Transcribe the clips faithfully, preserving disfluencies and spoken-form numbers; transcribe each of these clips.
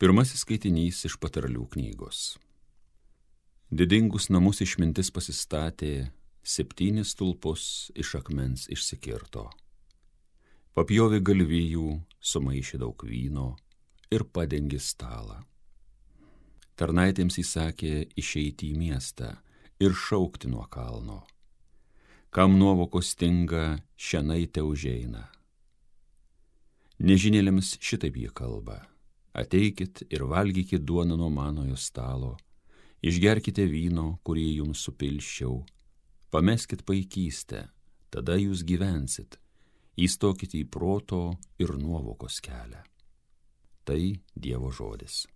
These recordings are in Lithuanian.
Pirmasis skaitinys iš Patarlių knygos. Didingus namus išmintis pasistatė, septynis stulpus iš akmens išsikirto. Papjovė galvijų, sumaišė daug vyno ir padengė stalą. Tarnaitėms įsakė išeiti į miestą ir šaukti nuo kalno. Kam nuovokos stinga, šianai te užeina. Nežinėlėms šitaip jie kalba. Ateikit ir valgykit duoną nuo manojo stalo, išgerkite vyno, kurį jums supilščiau, pameskit paikystę, tada jūs gyvensit, įstokite į proto ir nuovokos kelią. Tai Dievo žodis.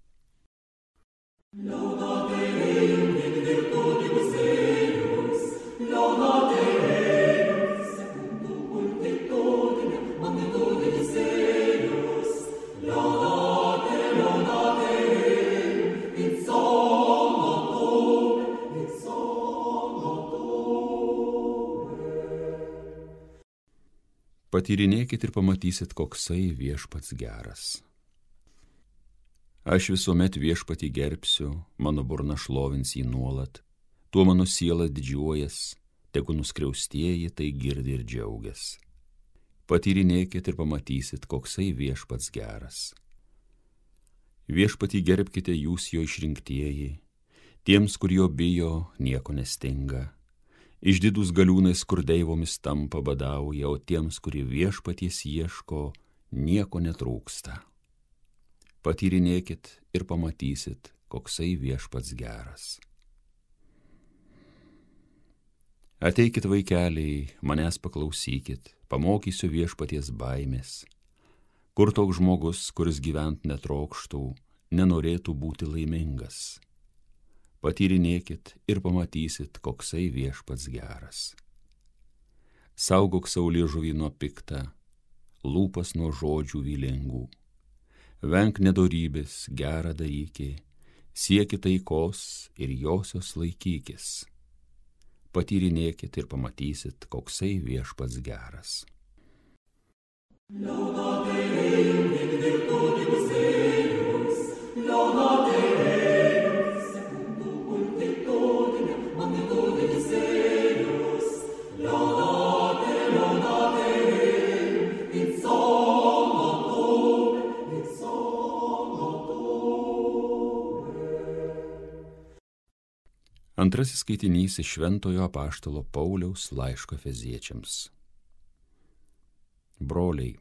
Laudate Deum in virtutibus eius, laudate Deum secundum pulchritudinem magnitudis eius, laudate, laudate Deum in sonum, in sonum. Patyrinėkit ir pamatysit, koksai viešpats geras. Aš visuomet viešpatį gerbsiu, mano burna šlovins jį nuolat, tuo mano siela didžiuojas, tegu nuskriaustieji tai girdi ir džiaugias. Patyrinėkit ir pamatysit, koksai viešpats geras. Viešpatį gerbkite jūs jo išrinktieji, tiems, kur jo bijo, nieko nestinga. Išdidūs galiūnai skurdeivomis tampa badauja, o tiems, kurie viešpaties ieško, nieko netrūksta. Patyrinėkit ir pamatysit, koksai viešpats geras. Ateikit vaikeliai, manęs paklausykit, pamokysiu viešpaties baimės. Kur toks žmogus, kuris gyvent netrokštų, nenorėtų būti laimingas. Patyrinėkit ir pamatysit, koksai viešpats geras. Saugok savo liežuvį nuo piktą, lūpas nuo žodžių vylingų. Venk nedorybės, gerą darykį, sieki taikos ir josios laikykis. Patyrinėkit ir pamatysit, koksai viešpats geras. Laudate Deum in virtutibus eius, laudate Deum secundum pulchritudinem magnitudis eius, laudate, laudate Deum in sonum. Antrasis skaitinys iš Šventojo apaštalo Pauliaus laiško Efeziečiams. Broliai,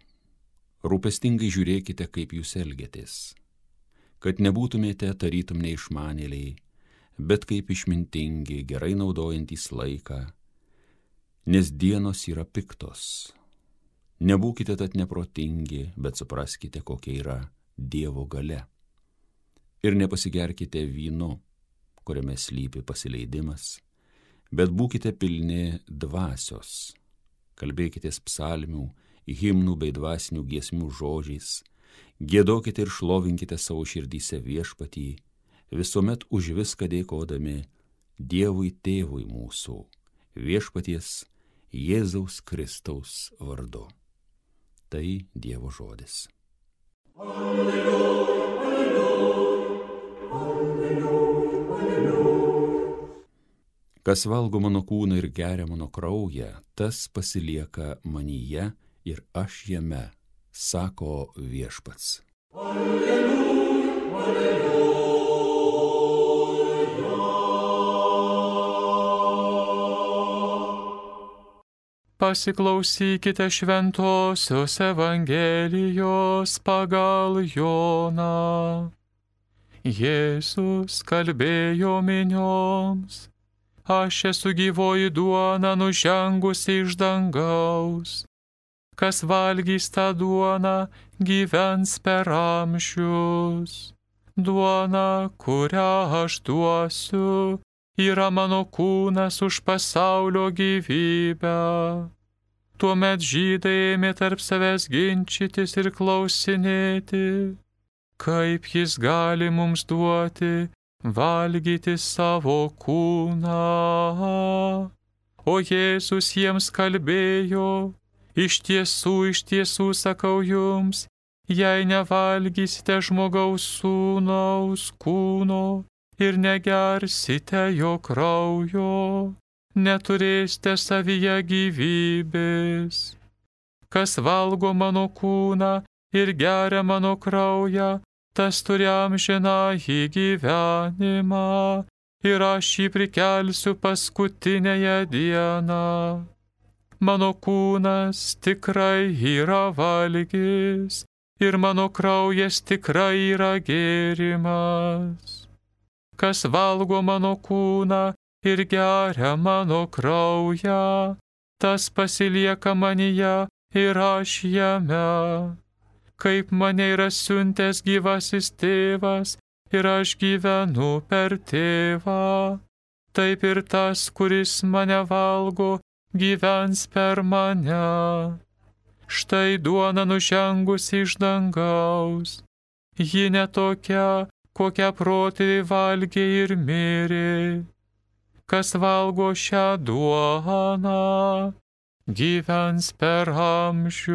rūpestingai žiūrėkite, kaip jūs elgiatės, kad nebūtumėte tarytum neišmanėliai, bet kaip išmintingi, gerai naudojantys laiką, nes dienos yra piktos. Nebūkite tad neprotingi, bet supraskite, kokia yra Dievo galia. Ir nepasigerkite vynu, kuriame slypi pasileidimas, bet būkite pilni dvasios. Kalbėkitės psalmių, himnų bei dvasinių giesmių žodžiais, giedokite ir šlovinkite savo širdyse viešpatį, visuomet už viską dėkodami Dievui Tėvui mūsų, viešpaties Jėzaus Kristaus vardu. Tai Dievo žodis. Alleluja, alleluja, alleluja. Kas valgo mano kūną ir geria mano kraują, tas pasilieka manyje ir aš jame, sako viešpats. Alleluja, alleluja. Pasiklausykite šventosios Evangelijos pagal Joną. Jėzus kalbėjo minioms. Aš esu gyvoji duona nužengusi iš dangaus. Kas valgys tą duoną, gyvens per amžius. Duona, kurią aš duosiu, yra mano kūnas už pasaulio gyvybę. Tuomet žydai ėmė tarp savęs ginčytis ir klausinėti, kaip jis gali mums duoti valgyti savo kūną. O Jėzus jiems kalbėjo, iš tiesų, iš tiesų sakau jums, jei nevalgysite žmogaus sūnaus kūno ir negersite jo kraujo, neturėsite savyje gyvybės. Kas valgo mano kūną ir geria mano kraują, tas turi amžinąjį gyvenimą, ir aš jį prikelsiu paskutinėje dieną. Mano kūnas tikrai yra valgis, ir mano kraujas tikrai yra gėrimas. Kas valgo mano kūną ir geria mano kraują, tas pasilieka manyje ir aš jame. Kaip mane yra siuntęs gyvasis tėvas, ir aš gyvenu per tėvą, taip ir tas, kuris mane valgo, gyvens per mane. Štai duona nužengusi iš dangaus, ji netokia, kokią protėviai valgė ir mirė. Kas valgo šią duoną, gyvens per amžius.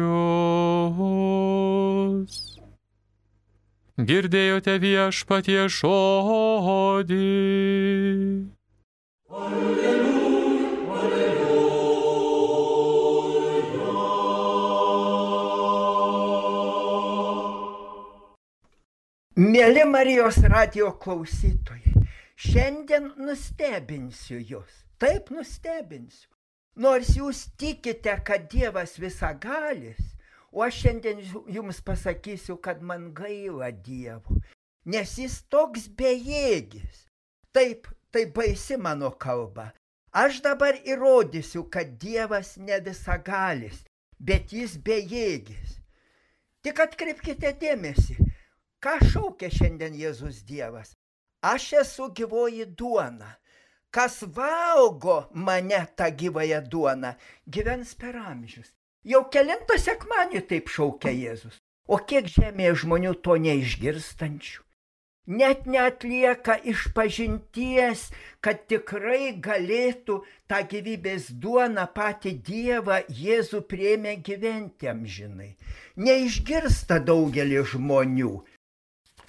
Girdėjote viešpatie žodį. Alleluja, alleluja. Mėly Marijos radijo klausytojai, šiandien nustebinsiu jūs, taip nustebinsiu. Nors jūs tikite, kad Dievas visagalis, o aš šiandien jums pasakysiu, kad man gaila Dievo, nes jis toks bejėgis. Taip, tai baisi mano kalba. Aš dabar įrodysiu, kad Dievas ne visagalis, bet jis bejėgis. Tik atkreipkite dėmesį, ką šaukia šiandien Jėzus Dievas. Aš esu gyvoji duona. Kas valgo mane tą gyvąją duoną, gyvens per amžius. Jau kelintą sekmanį taip šaukia Jėzus. O kiek žemėje žmonių to neišgirstančių? Net neatlieka išpažinties, kad tikrai galėtų tą gyvybės duoną patį Dievą Jėzų priėmė gyventi amžinai. Neišgirsta daugelį žmonių.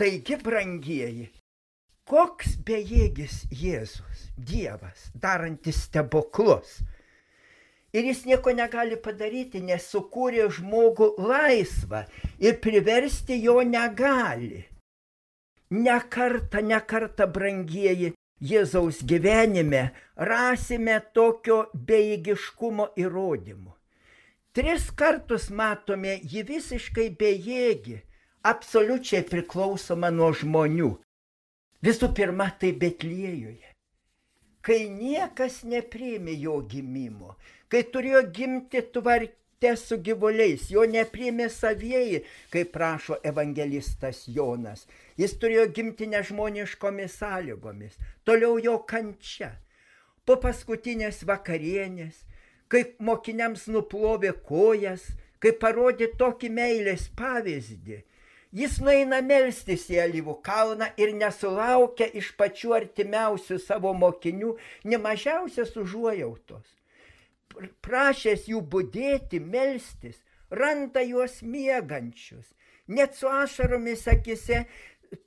Taigi, brangieji, koks bejėgis Jėzus, Dievas, darantis stebuklus. Ir jis nieko negali padaryti, nes sukūrė žmogų laisvą ir priversti jo negali. Ne kartą, ne kartą, brangieji, Jėzaus gyvenime rasime tokio bejėgiškumo įrodymų. Tris kartus matome jį visiškai bejėgį, absoliučiai priklausoma nuo žmonių. Visų pirma, tai Betliejuje, kai niekas nepriėmė jo gimimo, kai turėjo gimti tvarte su gyvuliais, jo nepriėmė savieji, kaip prašo evangelistas Jonas. Jis turėjo gimti nežmoniškomis sąlygomis, toliau jo kančia. Po paskutinės vakarienės, kai mokiniams nuplovė kojas, kai parodė tokį meilės pavyzdį, jis nueina melstis į Alyvų kalną ir nesulaukia iš pačių artimiausių savo mokinių ne mažiausios užuojautos. Prašęs jų budėti, melstis, randa juos miegančius. Net su ašaromis akise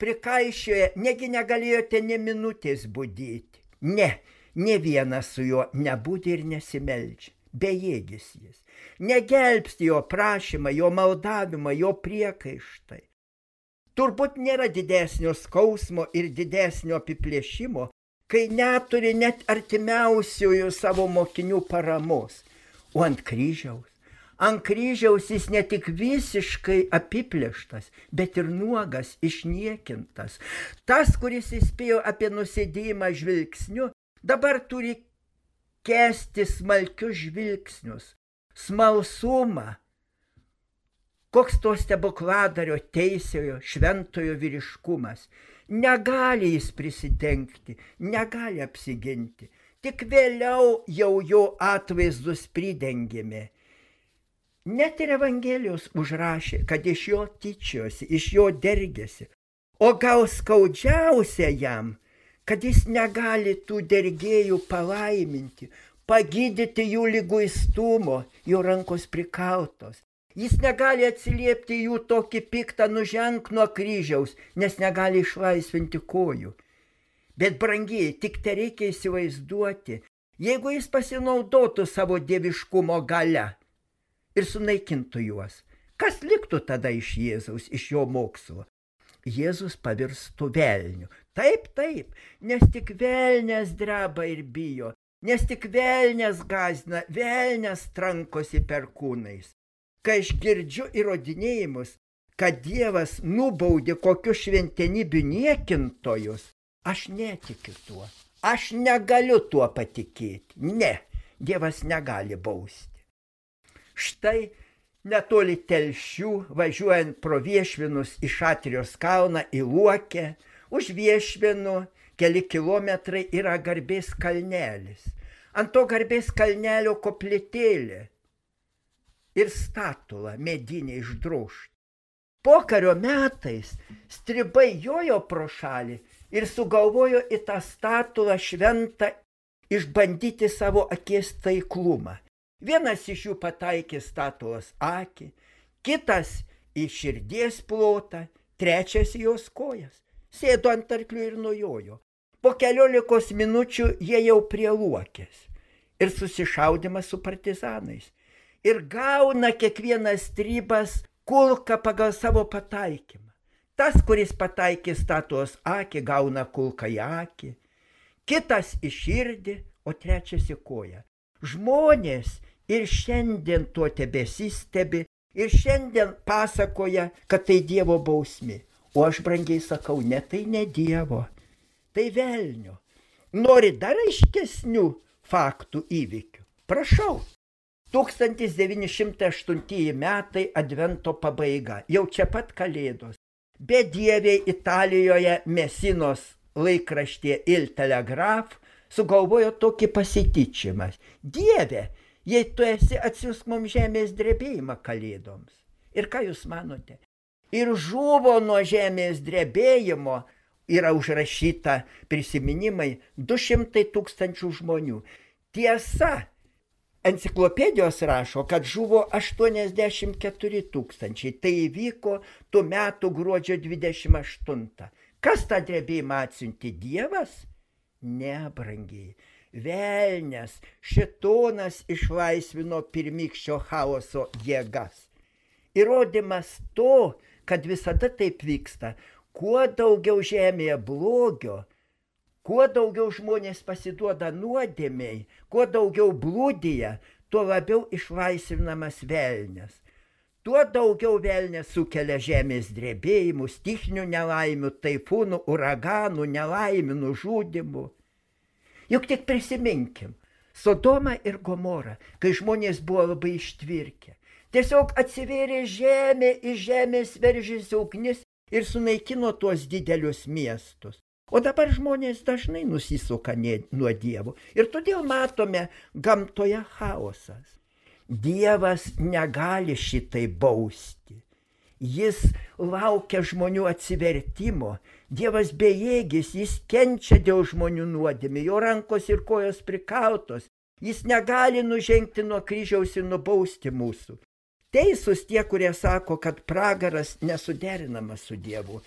prikaišioja, negi negalėjote ne minutės budėti. Ne, ne vienas su juo nebūdė ir nesimeldžia. Bejėgis jis. Negelbsti jo prašymą, jo maldavimą, jo priekaištai. Turbūt nėra didesnio skausmo ir didesnio apiplėšimo, kai neturi net artimiausiųjų savo mokinių paramos. O ant kryžiaus, ant kryžiaus jis ne tik visiškai apiplėštas, bet ir nuogas, išniekintas. Tas, kuris įspėjo apie nusidėjimą žvilgsniu, dabar turi kęsti smalkius žvilgsnius, smalsumą. Koks to stebukladario, teisiojo, šventojo vyriškumas. Negali jis prisidengti, negali apsiginti. Tik vėliau jau jo atvaizdus pridengėme. Net ir Evangelijos užrašė, kad iš jo tyčiosi, iš jo dergėsi. O gal skaudžiausia jam, kad jis negali tų dergėjų palaiminti, pagydyti jų liguistumo, jo rankos prikaltos. Jis negali atsiliepti jų tokį piktą nuženk nuo kryžiaus, nes negali išlaisvinti kojų. Bet brangiai, tik te reikia įsivaizduoti, jeigu jis pasinaudotų savo dieviškumo galia ir sunaikintų juos, kas liktų tada iš Jėzaus, iš jo mokslo? Jėzus pavirstų velniu. Taip, taip, nes tik velnias dreba ir bijo, nes tik velnias gąsdina, velnias trankosi perkūnais. Kai aš girdžiu įrodinėjimus, kad Dievas nubaudė kokius šventenybių niekintojus, aš netikiu tuo. Aš negaliu tuo patikėti. Ne, Dievas negali bausti. Štai netoli Telšių, važiuojant pro Viešvinus į Šatrijos kalną į Luokę, už Viešvinų keli kilometrai yra Garbės kalnelis. Ant to Garbės kalnelio koplytėlė ir statula medinė išdrožta. Pokario metais stribai jojo pro šalį ir sugalvojo į tą statulą šventą išbandyti savo akies taiklumą. Vienas iš jų pataikė statulos akį, kitas į širdies plotą, trečias į jos kojas. Sėdo ant arklių ir nujojo. Po keliolikos minučių jie jau prie Luokės ir susišaudimas su partizanais. Ir gauna kiekvienas stribas kulką pagal savo pataikymą. Tas, kuris pataikė statulos akį, gauna kulką į akį, kitas į širdį, o trečias į koją. Žmonės ir šiandien tuo tebesistebi, ir šiandien pasakoja, kad tai Dievo bausmė. O aš brangiai sakau, ne tai ne Dievo, tai velnio. Nori dar aiškesnių faktų įvykių? Prašau. tūkstantis devyni šimtai aštuntieji metai advento pabaiga, jau čia pat Kalėdos. Bedieviai Italijoje Mesinos laikraštyje Il Telegraph sugalvojo tokį pasityčimą. Dieve, jei tu esi, atsiųsk mums žemės drebėjimą Kalėdoms. Ir ką jūs manote? Ir žuvo nuo žemės drebėjimo, yra užrašyta prisiminimai, du šimtai tūkstančių žmonių. Tiesa, enciklopedijos rašo, kad žuvo aštuoniasdešimt keturi tūkstančiai. Tai įvyko tų metų gruodžio dvidešimt aštuntą. Kas tą drebėjimą atsiuntė? Dievas? Ne, brangiai. Velnias, šėtonas išlaisvino pirmykščio chaoso jėgas. Įrodymas to, kad visada taip vyksta, kuo daugiau žemėje blogio, kuo daugiau žmonės pasiduoda nuodėmei, kuo daugiau blūdija, tuo labiau išlaisvinamas velnias. Tuo daugiau velnias sukelia žemės drebėjimų, stichinių nelaimių, taifūnų, uraganų, nelaimių, nužudimų. Juk tik prisiminkim, Sodoma ir Gomora, kai žmonės buvo labai ištvirkę. Tiesiog atsivėrė žemė, iš žemės veržėsi ugnis ir sunaikino tuos didelius miestus. O dabar žmonės dažnai nusisuka nuo Dievo ir todėl matome gamtoje chaosas. Dievas negali šitai bausti. Jis laukia žmonių atsivertimo. Dievas bejėgis, jis kenčia dėl žmonių nuodėmių, jo rankos ir kojos prikautos. Jis negali nužengti nuo kryžiaus ir nubausti mūsų. Teisūs tie, kurie sako, kad pragaras nesuderinamas su Dievu.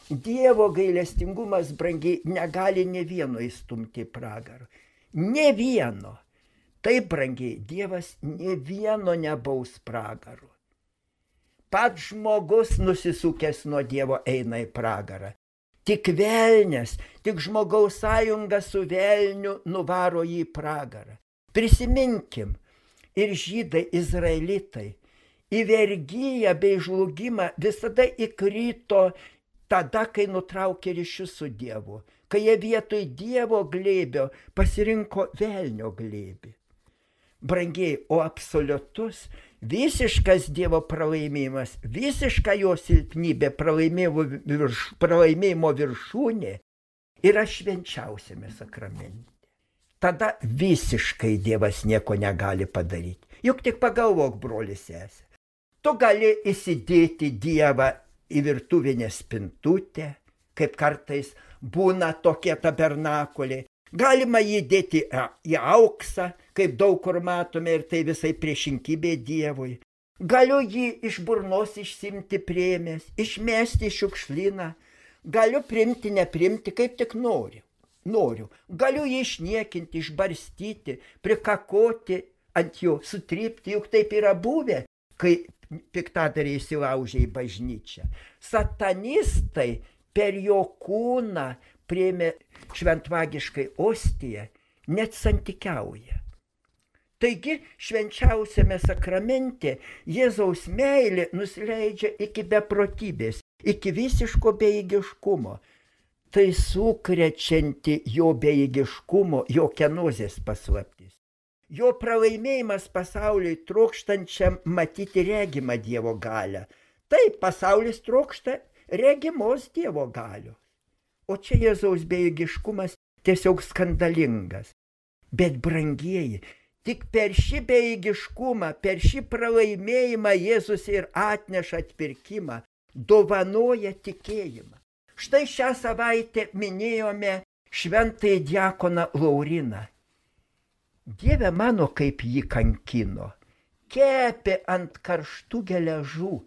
Dievo gailestingumas, brangiai, negali ne vieno įstumti į pragarą. Ne vieno. Taip, brangiai, Dievas ne vieno nebaus pragaru. Pats žmogus nusisukęs nuo Dievo eina į pragarą. Tik velnias, tik žmogaus sąjunga su velniu nuvaro jį į pragarą. Prisiminkim, ir žydai, izraelitai, į vergiją bei žlugimą visada įkrito tada, kai nutraukė ryšius su Dievu, kai jie vietoj Dievo glėbio pasirinko velnio glėbį. Brangiai, o absoliutus, visiškas Dievo pralaimėjimas, visiška jo silpnybė, pralaimėjimo, virš, pralaimėjimo viršūnė yra švenčiausiame sakramente. Tada visiškai Dievas nieko negali padaryti. Juk tik pagalvok, brolis sesė. Tu gali įsidėti Dievą į virtuvinę spintutę, kaip kartais būna tokie tabernakuliai. Galima jį dėti į auksą, kaip daug kur matome, ir tai visai priešinkybė Dievui. Galiu jį iš burnos išsimti priėmęs, išmesti šiukšlyną, galiu primti, neprimti, kaip tik noriu. Noriu. Galiu jį išniekinti, išbarstyti, prikakoti ant jo, sutrypti, juk taip yra buvę, kai piktadariai įsilaužė į bažnyčią. Satanistai per jo kūną priėmė šventvagiškai ostiją, net santykiauja. Taigi švenčiausiame sakramente Jėzaus meilė nusileidžia iki beprotybės, iki visiško bejėgiškumo. Tai sukrečianti jo bejėgiškumo, jo kenozės paslaptis. Jo pralaimėjimas pasauliui trokštančiam matyti regimą Dievo galią. Taip, pasaulis trokšta regimos Dievo galios. O čia Jėzaus bejėgiškumas tiesiog skandalingas. Bet brangieji, tik per šį bejėgiškumą, per šį pralaimėjimą Jėzus ir atneša atpirkimą, dovanoja tikėjimą. Štai šią savaitę minėjome šventąjį diakoną Lauriną. Dieve mano, kaip jį kankino, kepė ant karštų geležų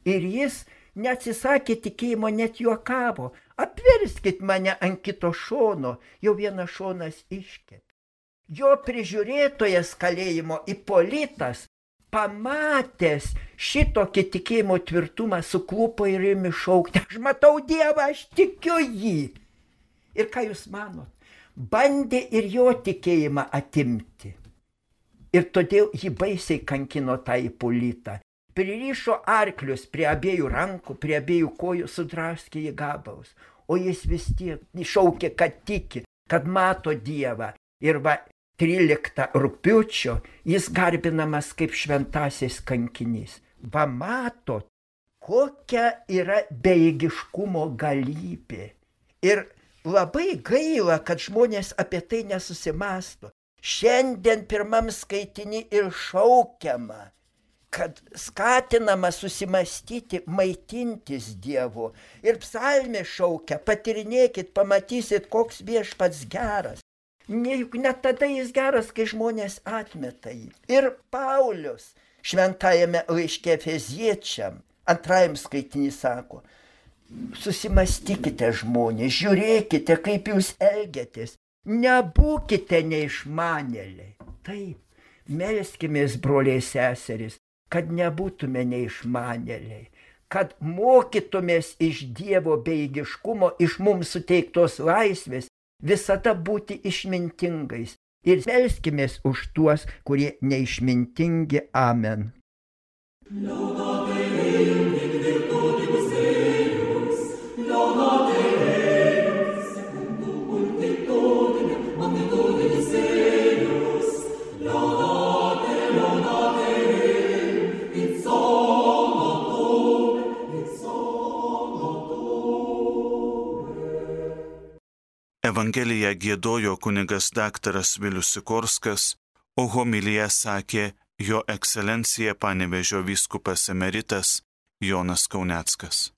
ir jis neatsisakė tikėjimo, net juokavo. Apverskit mane ant kito šono, jau vienas šonas iškepė. Jo prižiūrėtojas kalėjimo Ipolitas, pamatęs šitokį tikėjimo tvirtumą, suklupo ir ėmė šaukti: aš matau Dievą, aš tikiu jį. Ir ką jūs manot? Bandė ir jo tikėjimą atimti. Ir todėl jį baisiai kankino tą Ipolitą. Pririšo arklius prie abiejų rankų, prie abiejų kojų, sudraskė į gabalus. O jis vis tiek šaukė, kad tiki, kad mato Dievą. Ir va, tryliktą rugpjūčio jis garbinamas kaip šventasis kankinys. Va matot, kokia yra bejėgiškumo galybė. Ir labai gaila, kad žmonės apie tai nesusimąsto. Šiandien pirmam skaitiny ir šaukiama, kad skatinama susimastyti, maitintis Dievu. Ir psalmė šaukia: patyrinėkit, pamatysit, koks viešpats geras. Juk net tada jis geras, kai žmonės atmeta jį. Ir Paulius šventajame laiške Efeziečiam antrajam skaitinį sako: susimastykite žmonės, žiūrėkite, kaip jūs elgiatės, nebūkite neišmanėliai. Taip, melskimės, broliai seserys, kad nebūtume neišmanėliai, kad mokytumės iš Dievo bejėgiškumo, iš mums suteiktos laisvės, visada būti išmintingais. Ir melskimės už tuos, kurie neišmintingi. Amen. Evangeliją giedojo kunigas daktaras Vilius Sikorskas, o homiliją sakė jo ekscelencija Panevėžio vyskupas emeritas Jonas Kauneckas.